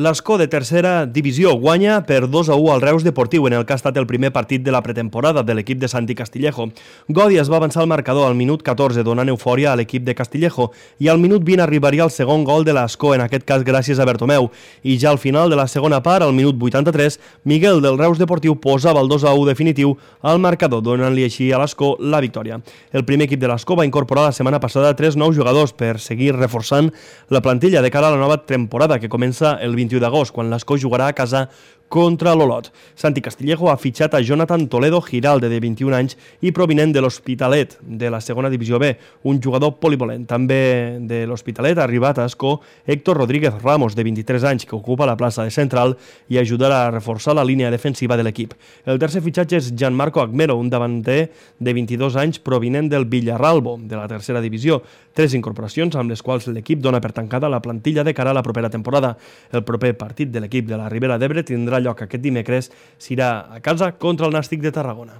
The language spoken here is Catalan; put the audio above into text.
L'Escó de tercera divisió guanya per 2-1 al Reus Deportiu en el que ha estat el primer partit de la pretemporada de l'equip de Santi Castillejo. Godi es va avançar al marcador al minut 14 donant eufòria a l'equip de Castillejo i al minut 20 arribaria el segon gol de l'Escó, en aquest cas gràcies a Bertomeu. I ja al final de la segona part, al minut 83, Miguel del Reus Deportiu posava el 2-1 definitiu al marcador, donant-li així a l'Escó la victòria. El primer equip de l'Escó va incorporar la setmana passada 3 nous jugadors per seguir reforçant la plantilla de cara a la nova temporada que comença el 21 d'agost, quan l'Escó jugarà a casa contra l'Olot. Santi Castillejo ha fitxat a Jonathan Toledo Giralde, de 21 anys i provinent de l'Hospitalet, de la segona divisió B, un jugador polivalent. També de l'Hospitalet ha arribat a Escó Héctor Rodríguez Ramos, de 23 anys, que ocupa la plaça de central i ajudarà a reforçar la línia defensiva de l'equip. El tercer fitxatge és Gianmarco Agmero, un davanter de 22 anys provinent del Villarralbo, de la tercera divisió. 3 incorporacions amb les quals l'equip dona per tancada la plantilla de cara a la propera temporada. El proper partit de l'equip de la Ribera d'Ebre tindrà lloc aquest dimecres, serà a casa contra el Nàstic de Tarragona.